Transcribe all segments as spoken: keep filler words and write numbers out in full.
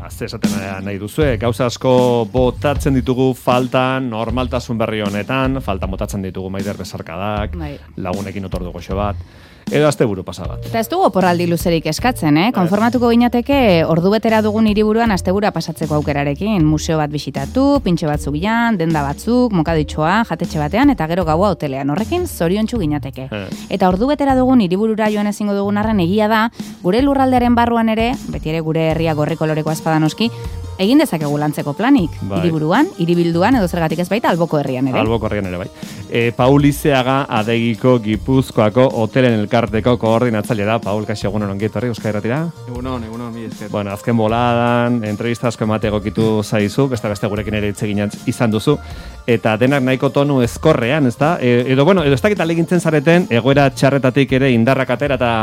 ze esaten nahi duzue, gauza asko botatzen ditugu faltan, normaltasun berri honetan, faltan botatzen ditugu maider besarkadak, bai. Lagunekin otordu goxo bat, edo asteburu pasa bat. Eta ez dugu oporraldi luzerik eskatzen, eh? Konformatuko ginateke ordu betera dugun hiriburuan asteburua pasatzeko aukerarekin, museo bat bisitatu, pintxo batzuk jan, denda batzuk, mokaditxoa, jatetxe batean, eta gero gaua hotelean, horrekin zoriontsu ginateke. Eh. Eta ordu betera dugun hiriburura joan ezingo dugun arren egia da, gure lurraldearen barruan ere, beti ere gure herria gorri koloreko azpadanoski, egin dezakegu lantzeko planik, bai. Hiriburuan, hiribilduan, edo zergatik ez baita, alboko herrian ere. Alboko herrian ere, bai. E, Paul Izeaga, Adegiko, Gipuzkoako, hotelen elkarteko koordinatzaile da. Paul, kaixo, egunon ongiet horri, Euskal Herratira? Egunon, egunon, mi esker. Bueno, azken boladan, entrevista asko emate egokitu zaizu, beste beste gurekin ere itzegin izan duzu, eta denak nahiko tonu ezkorrean, ez da? E, edo, bueno, edo ez dakit alegintzen zareten, egoera txarretatik ere indarrak atera eta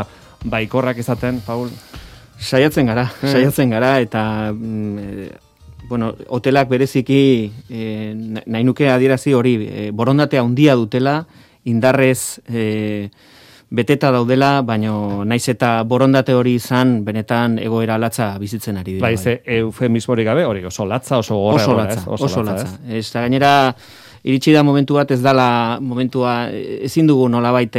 baikorrak izaten, Paul? Saiatzen gara, saiatzen gara, eta mm, bueno, hotelak bereziki eh, nahi nuke adierazi hori, eh, borondatea handia dutela, indarrez eh, beteta daudela, baino naiz eta borondate hori izan, benetan egoera latza bizitzen ari dira. Bai, ze eufemismorik gabe, hori oso latza, oso gorra. Oso latza, oso, oso latza. latza. Ez da gainera, iritsi da momentu bat, ez dala momentua, ezin dugu nolabait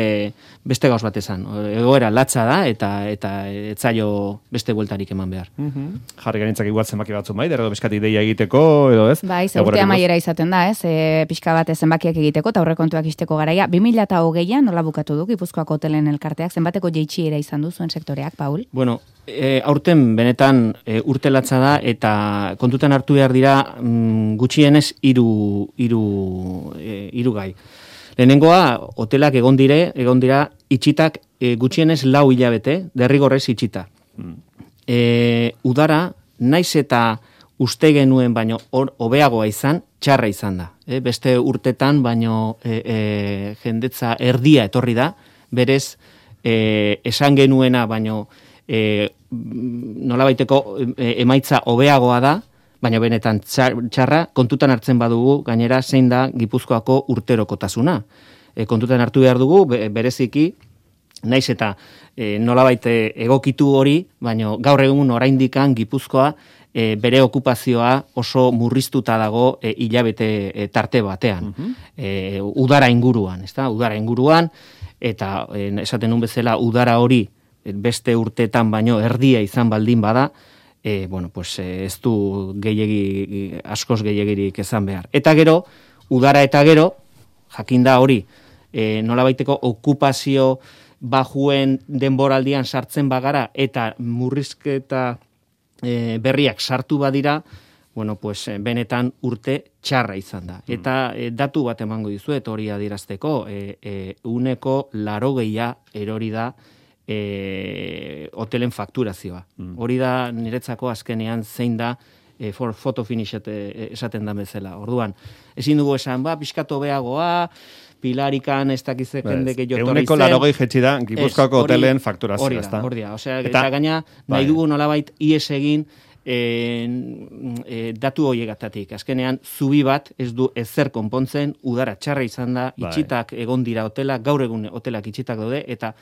beste gauz bat esan. Egoera latza da, eta eta etzaio beste bueltarik eman behar. Uh-huh. Jarri gainitzak igual zenbaki batzu bai, edo beskatik deia egiteko, edo ez? Bai, urtea maiera izaten da, ez? E, pixka bat zenbakiak egiteko, eta aurrekontuak isteko garaia. bi mila hogeian nola bukatu du Gipuzkoako hotelen elkarteak, zenbateko jeitsiera izan du zuen sektoreak, Paul? Bueno, e, aurten benetan e, urte latza da, eta kontutan hartu behar dira mm, gutxienez hiru hiru e, hiru gai. Lehenengoa, hotelak egon dire, egon dira itxitak e, gutxienez lau hilabete, derrigorrez itxita. Mm. E, udara, naiz eta uste genuen baino hobeagoa izan, txarra izan da. E, beste urtetan baino e, e, jendetza erdia etorri da, berez e, esan genuena baino e, nolabaiteko e, emaitza hobeagoa da, baina benetan txarra, kontutan hartzen badugu, gainera zein da Gipuzkoako urterokotasuna. E, kontutan hartu behar dugu, bereziki, naiz eta e, nolabait egokitu hori, baina gaur egun oraindikan Gipuzkoa e, bere okupazioa oso murriztuta dago e, hilabete e, tarte batean. Uh-huh. e, udara inguruan, ezta? Udara inguruan, eta e, esaten nun bezala udara hori beste urteetan baino erdia izan baldin bada, E, bueno, pues, ez du gehiegi, askoz gehiagirik ezan behar. Eta gero, udara eta gero, jakinda hori, e, nolabaiteko okupazio bajuen denboraldian sartzen bagara, eta murrizketa e, berriak sartu badira, bueno, pues, benetan urte txarra izan da. Mm. Eta e, datu bat emango dizuet hori adierazteko, e, e, uneko larogeia erori da, E, hotelen fakturazioa. Mm. Hori da niretzako azkenean zein da e, for photo finish e, esaten da bezala. Orduan, ezin dugu esan, ba, pixkatu beagoa, pilarikan ez dakize jende gehiago torri zen. Euneko larogei jetxi da, Gipuzkoako hotelen fakturazioa. Hori da, hori da. Osea, eta, eta gaina, nahi dugu nolabait ies egin e, e, datu horiegatatik. Azkenean, zubi bat ez du ezer konpontzen, udara txarra izan da, itxitak egon dira hotelak, gaur egun hotelak itxitak daude, eta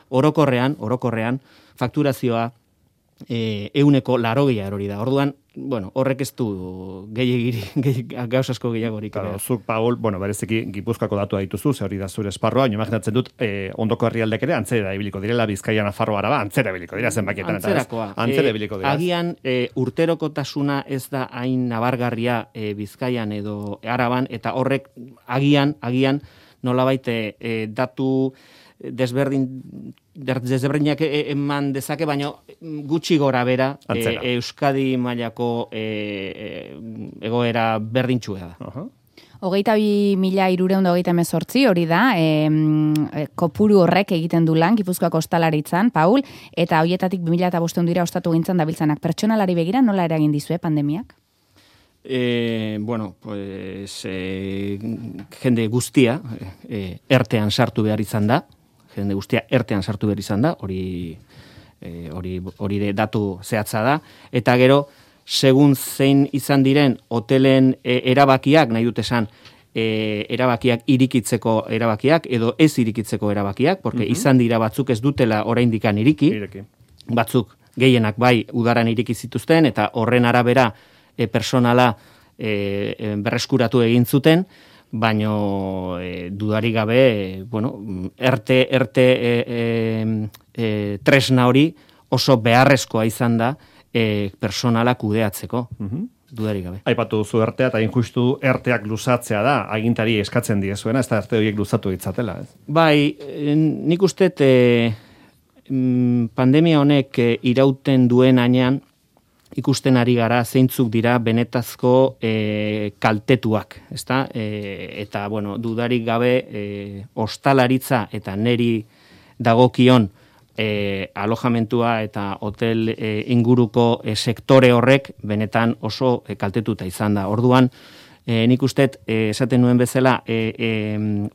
orokorrean, orokorrean, fakturazioa e, euneko larogeia erori da. Orduan, bueno, horrek ez du gehiagiri, gauz asko gehiagorik. Claro, zuk, Paul, bueno, bereziki Gipuzkoako datua dituzu, ze hori da zure esparroa, imaginatzen dut, eh, ondoko herrialdek ere antzera ibiliko direla, Bizkaia, Nafarroa, Araba, antzera ibiliko dira, zenbakietan. Antzerakoa. Antzera ibiliko dira. Agian, e, urterokotasuna ez da hain nabargarria e, Bizkaian edo Araban, eta horrek agian, agian, nolabait e, datu desberdin desberdinak eman dezake, baina gutxi gora bera e, Euskadi mailako e, e, egoera berdintxua da. Uh-huh. Hogeita bi mila hirureun da hogeita hemezortzi hori da, e, kopuru horrek egiten du lan, Gipuzkoako ostalaritzan, Paul, eta horietatik bi mila bostehun dira ostatu gintzen dabiltzanak. Pertsonalari begira nola eragin dizue pandemiak? E, bueno, pues, e, jende guztia e, ertean sartu behar izan da, jende guztia ertean sartu behar izan da, hori e, hori hori de datu zehatza da, eta gero, segun zein izan diren hotelen e, erabakiak, nahi dut esan, e, erabakiak irikitzeko erabakiak, edo ez irikitzeko erabakiak, porque uh-huh. izan dira batzuk ez dutela oraindikan iriki, Ireki. batzuk gehienak bai udaran ireki zituzten, eta horren arabera e, personala e, e, berreskuratu egin zuten, baino e, dudari gabe, e, bueno, erte, erte e, e, e, tresna hori oso beharrezkoa izan da e, personala kudeatzeko. Uh-huh. Dudari gabe. Aipatu duzu ertea, eta injustu erteak luzatzea da, agintari eskatzen diezuena, ez da erte horiek luzatu ditzatela, ez? Bai, nik uste e, pandemia honek e, irauten duen ainean, ikusten ari gara zeintzuk dira benetazko e, kaltetuak, ezta? E, eta, bueno, dudarik gabe e, ostalaritza eta neri dagokion E, alojamentua eta hotel e, inguruko e, sektore horrek benetan oso e, kaltetuta izan da. Orduan, e, nik usteet e, esaten nuen bezala e, e,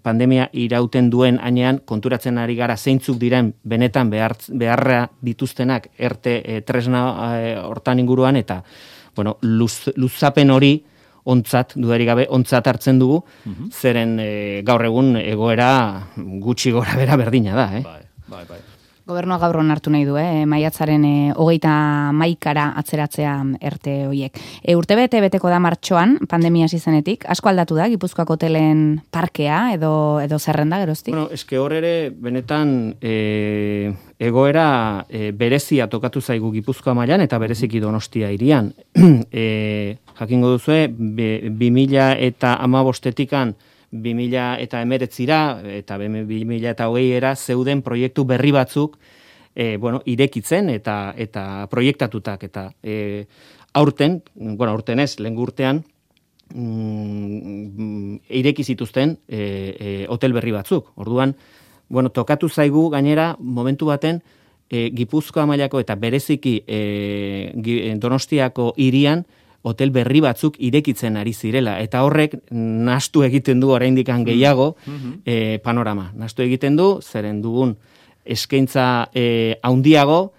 pandemia irauten duen ainean konturatzen ari gara zeintzuk diren benetan behar, beharra dituztenak erte e, tresna e, hortan inguruan eta bueno, luz, luzapen hori ontzat, dudarik gabe, ontzat hartzen dugu, uh-huh. zeren e, gaur egun egoera gutxi gora bera berdina da. Eh? Bai, bai, bai. Gobernua gaur onartu nahi du, eh? maiatzaren e, hogeita maikara atzeratzea erte hoiek. E, urte bete beteko da martxoan, pandemia hasi zenetik, asko aldatu da, Gipuzkoako hotelen parkea edo edo zerrenda geroztik? Bueno, eske hor ere, benetan e, egoera e, berezia tokatu zaigu Gipuzkoa mailan eta bereziki Donostia hirian. e, jakingo duzue, bi mila eta hamabostetikan bi mila eta emeretzira eta bi mila eta hogeiera zeuden proiektu berri batzuk e, bueno, irekitzen eta eta proiektatutak eta e, aurten, bueno, aurten ez, lehen urtean mm, ireki zituzten e, e, hotel berri batzuk. Orduan, bueno, tokatu zaigu gainera momentu baten e, Gipuzkoa mailako eta bereziki e, Donostiako hirian hotel berri batzuk irekitzen ari zirela, eta horrek nahastu egiten du oraindik gehiago mm-hmm. e, panorama. Nahastu egiten du, zeren dugun eskaintza e, haundiago,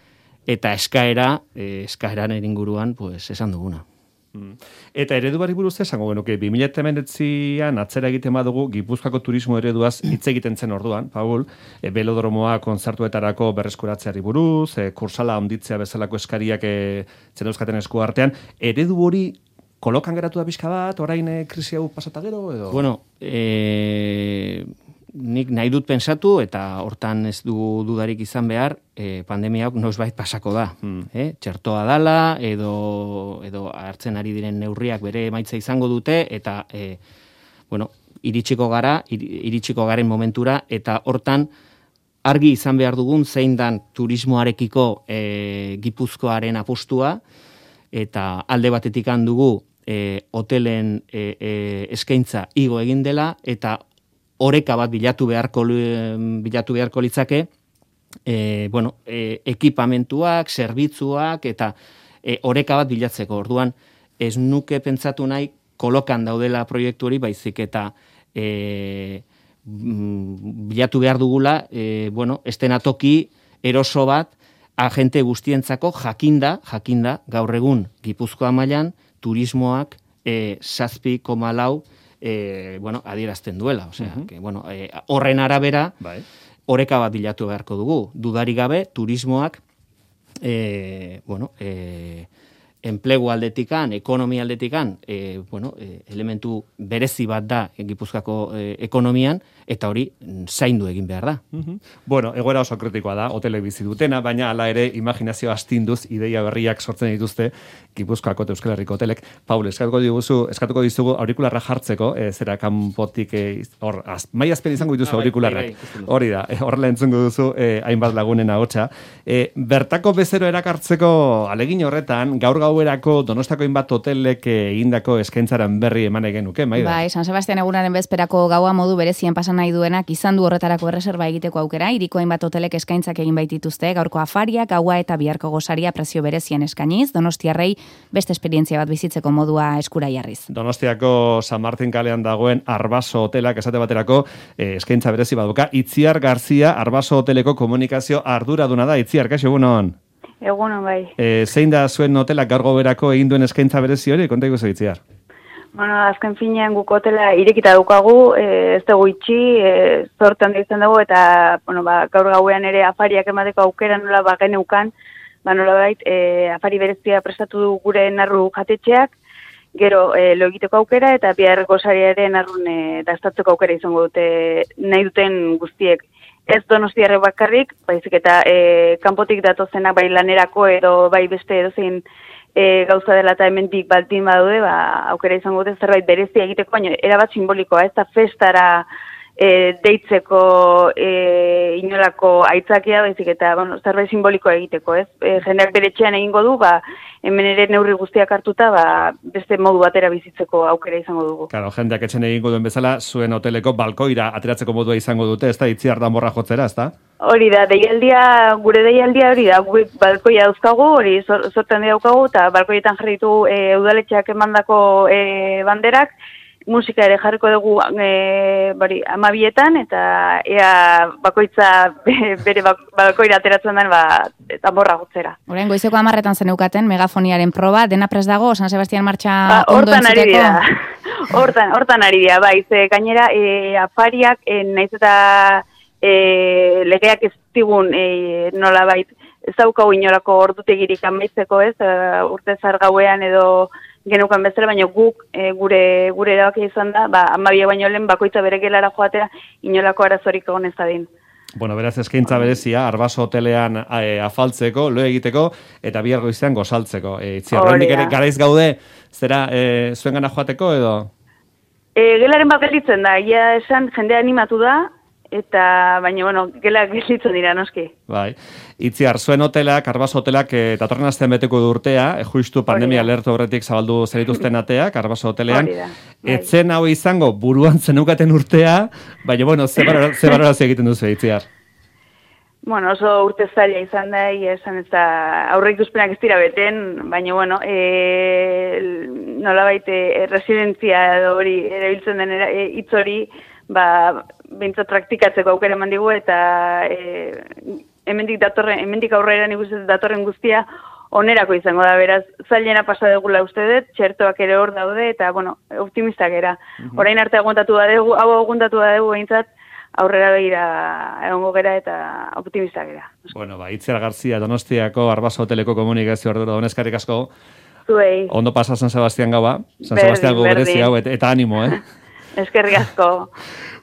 eta eskaera, e, eskaeraren inguruan, pues, esan duguna. Mm. Eta eredu bari buruz esango genuke, bi mila hemeretzian atzera egiten badugu Gipuzkoako turismo ereduaz hitz egiten zen orduan, Paul, e, belodromoa kontzertuetarako berreskuratzeari buruz, e, kursala handitzea bezalako eskariak e, zen euskaten esku artean, eredu hori kolokan geratu da pixka bat, orain e, krisi hau pasata gero, edo? Bueno, e, nik nahi dut pensatu, eta hortan ez du dudarik izan behar, e, pandemia hau noizbait pasako da. Hmm. E, txertoa dala, edo, edo hartzen ari diren neurriak bere emaitza izango dute, eta e, bueno, iritsiko gara, iritsiko garen momentura, eta hortan argi izan behar dugun zein dan turismoarekiko e, Gipuzkoaren apostua, eta alde batetik handugu e, hotelen e, e, eskaintza igo egin dela, eta oreka bat bilatu beharko bilatu beharko litzake, e, bueno, e, ekipamentuak, zerbitzuak eta e, oreka bat bilatzeko. Orduan, ez nuke pentsatu nahi kolokan daudela proiektu hori, baizik eta e, bilatu behar dugula, e, bueno, estenatoki eroso bat agente guztientzako jakinda, jakinda gaur egun Gipuzkoa mailan turismoak e, zazpi koma lau E, bueno, adierazten duela, osea, uh-huh. que, bueno, e, horren arabera bai. Oreka bat bilatu beharko dugu, dudari gabe turismoak e, bueno, e, enplegu aldetikan, ekonomia aldetikan, e, bueno, e, elementu berezi bat da Gipuzkoako e, ekonomian, eta hori zaindu egin behar da. Uh-huh. Bueno, egoera oso kritikoa da, hotelek bizi dutena, baina hala ere imaginazio astinduz ideia berriak sortzen dituzte Gipuzkoako eta Euskal Herriko hotelek. Paul, eskatuko diguzu, eskatuko dizugu aurikularra jartzeko, e, zera kanpotik hor, e, mai azpen izango dituzu ah, aurikularrak. Hori da, horrela e, entzungo duzu e, hainbat lagunen ahotsa. E, bertako bezero erakartzeko alegin horretan, gaur gauerako Donostako hainbat hotelek egindako eskaintzaren berri eman egen nuke, Maida? Bai, San Sebastian egunaren bezperako gaua modu berezien pasan nahi duenak izan du horretarako erreserba egiteko aukera, hiriko hainbat hotelek eskaintzak egin baitituzte, gaurko afaria, gaua eta biharko gosaria prezio berezien eskainiz, Donostiarrei beste esperientzia bat bizitzeko modua eskura jarriz. Donostiako San Martin kalean dagoen Arbaso hotelak esate baterako eh, eskaintza berezi baduka, Itziar Garzia Arbaso hoteleko komunikazio arduraduna da. Itziar, kaixo, egunon? Egunon, bai. E, zein da zuen hotelak gaur goberako egin duen eskaintza berezi hori? Konta iguzu, Itziar. Bueno, azken finean guk hotela irekita dukagu, e, ez dugu itxi, e, zortan da izan dugu, eta bueno, ba, gaur gauean ere afariak emateko aukera nola ba geneukan, ba nolabait e, afari berezia prestatu du gure narru jatetxeak, gero e, lo egiteko aukera eta bihar gosariaren narrun e, dastatzeko aukera izango dute nahi duten guztiek. Ez Donostiarre bakarrik, baizik eta e, kanpotik datozenak bai lanerako edo bai beste edozein e, gauza dela eta hemendik baldin badaude, ba, aukera izango dute zerbait berezia egiteko, baina erabat simbolikoa, ez da festara e, deitzeko e, inolako aitzakia, baizik eta bueno, zerbait simbolikoa egiteko, ez? E, jendeak bere etxean egingo du, ba, hemen ere neurri guztiak hartuta, ba, beste modu batera bizitzeko aukera izango dugu. Claro, jendeak etxen egingo duen bezala, zuen hoteleko balkoira ateratzeko modua izango dute, ez da, Itziar danborra jotzera, ez da? Hori da, deialdia, gure deialdia hori da, gure balkoia dauzkagu, hori sortan daukagu, eta balkoietan jarri ditu e, udaletxeak emandako e, banderak, musika ere jarriko dugu e, bari, amabietan, eta ea bakoitza bere balkoira ateratzen den ba, danborra gotzera. Orain goizeko hamarretan zeneukaten megafoniaren proba, dena prest dago, San Sebastian martxa ba, ondo hortan ari entzuteko? dira, hortan, hortan ari dira, bai, ze gainera e, afariak, e, naiz eta e, legeak ez digun e, nola bait, ez daukagu inolako ordutegirik amaitzeko ez, e, urte zar gauean edo genukan bezala, baina guk e, gure gure erabakia izan da, ba, amabia baino lehen bakoitza bere gelara joatera inolako arazorik egon ez dadin. Bueno, beraz eskaintza berezia, Arbaso hotelean e, afaltzeko, lo egiteko, eta bihar goizean gozaltzeko. E, Itziar, oraindik ere garaiz gaude, zera, e, zuen gana joateko edo? E, gelaren bat gelditzen da, ia esan jendea animatu da, eta baina, bueno, gela gelditzen dira, noski. Bai. Itziar, zuen hotelak, Arbaso hotelak, e, datorren astean beteko du urtea, e, justu pandemia alertu horretik zabaldu zenituzten ateak, Arbaso hotelean. Bai. Etzen hau izango buruan zeneukaten urtea, baina, bueno, ze balorazio egiten duzu, Itziar? Bueno, oso urte zaila izan da, esan ez da aurre ikuspenak ez dira beten, baina, bueno, e, nolabait e, residentzia hori erabiltzen den e, hitz hori, ba, bintzat praktikatzeko aukera eman digu, eta e, hemendik datorren, hemendik aurrera nik uste datorren guztia onerako izango da, beraz, zailena pasa dugula uste dut, txertoak ere hor daude, eta, bueno, optimistak era. Uh-huh. Orain arte aguantatu da dugu, hau aguantatu da dugu behintzat, aurrera begira egongo gera eta optimistak gera. Bueno, ba, Itziar Garzia, Donostiako Arbaso hoteleko komunikazio ardura, doneskarrik asko. Zuei. Ondo pasa San Sebastian gaua, San Sebastian gau berezi hau, eta, eta animo, eh? Eskerrik asko.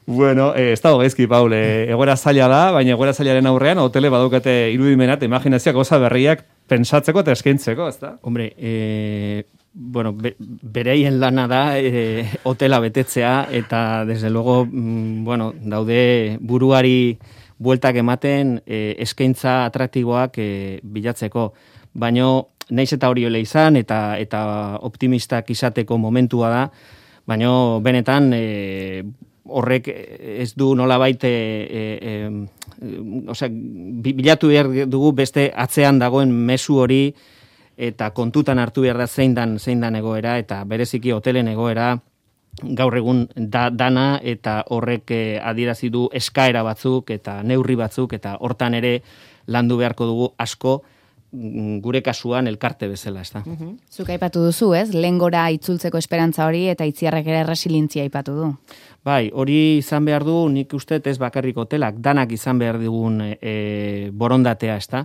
Bueno, eh, ez dago gaizki, Paul, eh, egoera zaila da, baina egoera zailaren aurrean, hotele badukate irudimenat, imaginazioak goza berriak pensatzeko eta eskaintzeko, ez da? Hombre, eh, bueno, be, bereien lana da eh, hotela betetzea, eta desde luego, mm, bueno, daude buruari bueltak ematen eh, eskaintza atraktiboak eh, bilatzeko, baina naiz eta hori ole izan, eta, eta optimistak izateko momentua da, baina benetan e, horrek ez du nolabait e, e, e, osea, bilatu behar dugu beste atzean dagoen mezu hori eta kontutan hartu behar da zein dan, zein dan egoera, eta bereziki hotelen egoera gaur egun da, dana, eta horrek e, adierazi du eskaera batzuk eta neurri batzuk, eta hortan ere landu beharko dugu asko, gure kasuan elkarte bezala, ez da. Uh-huh. Zuk aipatu duzu, ez? Lehengora itzultzeko esperantza hori eta Itziarrek ere resilientzia aipatu du. Bai, hori izan behar du, nik uste ez bakarrik hotelak, danak izan behar digun e, borondatea, ez da.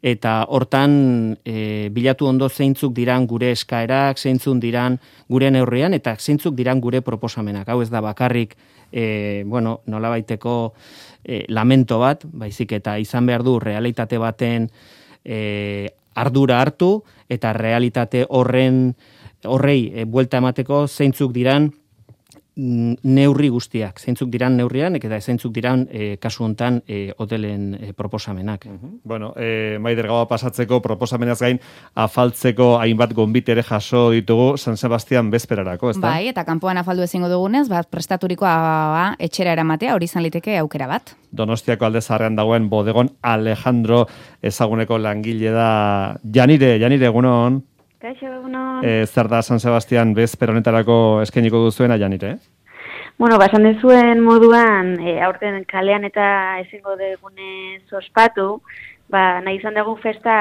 Eta hortan e, bilatu ondo zeintzuk diran gure eskaerak, zeintzuk diran gure neurrian, eta zeintzuk diran gure proposamenak. Hau ez da bakarrik, e, bueno, nolabaiteko e, lamento bat, baizik eta izan behar du realitate baten E, ardura hartu, eta realitate horren horrei e, buelta emateko zeintzuk diran neurri guztiak, zeintzuk diran neurrian, eta zeintzuk diran e, kasu hontan e, hotelen e, proposamenak. Uh-huh. Bueno, e, Maider gaua pasatzeko proposamenaz gain afaltzeko hainbat gonbit ere jaso ditugu San Sebastian bezperarako, ezta? Bai, eta kanpoan afaldu ezingo dugunez, bat prestaturikoa ba, etxera eramatea, hori izan liteke aukera bat. Donostiako alde zaharrean dagoen bodegon Alejandro ezaguneko langile da Janire, Janire egunon. Kaixo egunon. E, zer da San Sebastian bezper honetarako eskainiko duzuena, Janire? Bueno, basan dezuen moduan, e, aurten kalean eta ezingo degunez ospatu, ba, nahi izan dugu festa,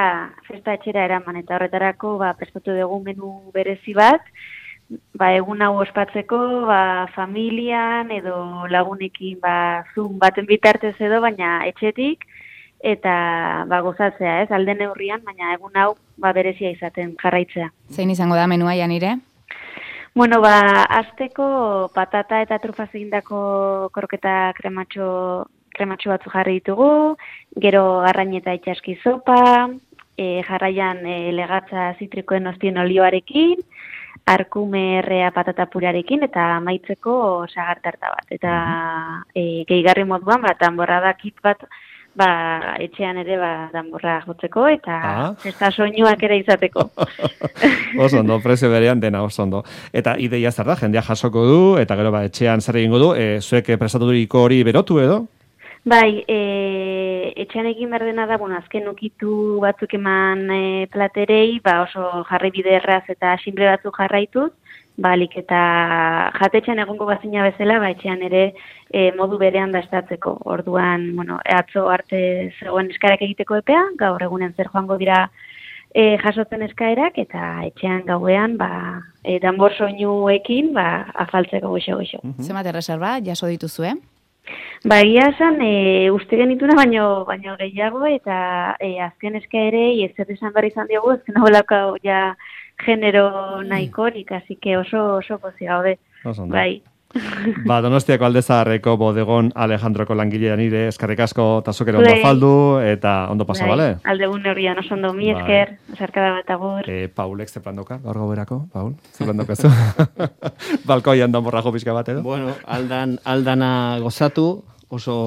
festa etxera eraman, eta horretarako ba, prestatu dugu menu berezi bat, ba, egun hau ospatzeko, ba, familian edo lagunekin ba, Zoom baten bitartez edo, baina etxetik, eta ba, gozatzea, ez, alde neurrian, baina egun hau ba, berezia izaten jarraitzea. Zein izango da menua, Janire? Bueno, ba, azteko patata eta trufaz egindako kroketa krematxo, krematxo batzu jarri ditugu, gero arrain eta itxaski zopa, e, jarraian e, legatza zitrikoen ostien olioarekin, arkume errea patata purarekin, eta amaitzeko sagartarta bat. Eta e, gehigarri moduan, ba, danborrada kit bat, ba, etxean ere ba, danborra jotzeko, eta ah. festa soinuak ere izateko. Oso ondo, prezio berean dena oso ondo. Eta ideia zer da, jendea jasoko du, eta gero ba, etxean zer egingo du, e, zuek prestaturiko hori berotu edo? Bai, e, etxean egin behar dena da, bueno, azken ukitu batzuk eman e, platerei, ba oso jarri bide erraz eta simple batzuk jarraituz, balik eta jatetxean egongo bazina bezala, ba etxean ere e, modu berean dastatzeko. Orduan, bueno, atzo arte zegoen eskaerak egiteko epea, gaur egunen zer joango dira e, jasotzen eskaerak, eta etxean gauean, ba, e, danbor soinuekin, ba, afaltzeko goxo-goxo. Zenbat erreserba, jaso dituzue? Ba, egia esan, e, uste genituna baino, baino gehiago, eta e, azken eskaerei ez zer esan behar izan diogu, ezken haulaka ja genero nahikorik, así que oso, oso pozi gaude. Bai. Ba, Donostiako Aldezaharreko bodegon Alejandroko langilea nire, eskarrik asko tazokero ondo faldu, eta ondo pasa, bale? Aldegun horrian oso ondo, mi esker, esarkada bat agur. Eh, Paulek ze plan doka, gaur gauerako, Paul? Ze plan dokazu? Balkoian danborrajo pixka bat edo? Bueno, aldan, aldana gozatu, oso,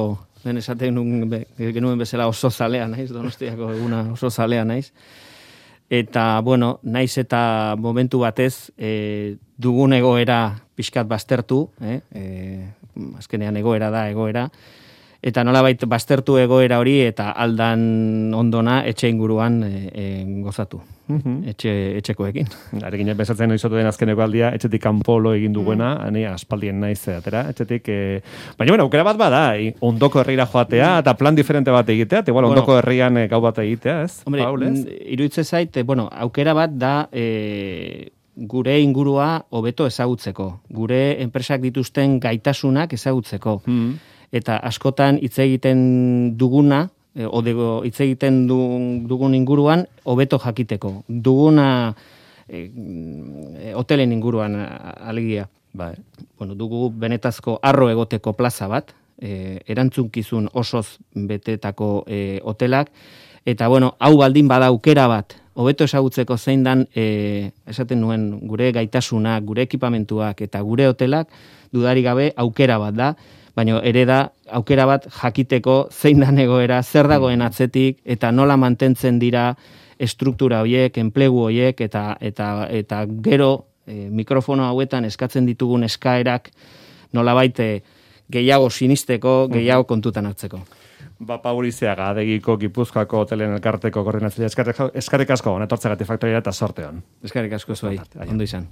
ben esaten nun, genuen bezala oso zalea naiz, Donostiako eguna oso zalea naiz. Eta, bueno, naiz eta momentu batez e, dugun egoera pixkat baztertu, eh? E, azkenean egoera da, egoera, eta nolabait baztertu egoera hori eta aldan ondona etxe inguruan e, e, gozatu, uh-huh. etxe, etxekoekin. Arekin pensatzen noizotu den azkeneko aldia, etxetik kanpolo egin duguena, mm. ani aspaldien naiz atera, etxetik, e... baina bueno, aukera bat bada, ondoko herrira joatea, eta plan diferente bat egitea, eta igual bueno, ondoko herrian e, gau bat egitea, ez? Hombre, iruditzen zait, bueno, aukera bat da, e, gure ingurua hobeto ezagutzeko, gure enpresak dituzten gaitasunak ezagutzeko, mm. eta askotan hitz egiten duguna, e, odego hitz egiten dugun inguruan hobeto jakiteko. Duguna e, hotelen inguruan alegia. Bai. Bueno, dugu benetazko arro egoteko plaza bat, e, erantzunkizun osoz betetako e, hotelak, eta bueno, hau baldin bada aukera bat, hobeto ezagutzeko zein dan, e, esaten nuen, gure gaitasunak, gure ekipamentuak eta gure hotelak, dudari gabe aukera bat da, baina ere da aukera bat jakiteko zein dan egoera, zer dagoen atzetik, eta nola mantentzen dira estruktura horiek, enplegu horiek, eta, eta, eta gero e, mikrofono hauetan eskatzen ditugun eskaerak nolabait gehiago sinisteko, gehiago kontutan hartzeko. Ba, Paul Izeaga, Adegiko Gipuzkoako hotelen elkarteko koordinatzailea, eskarrik asko, etortzegatik faktoria eta sorteon. Eskarrik asko zuai, ondo izan.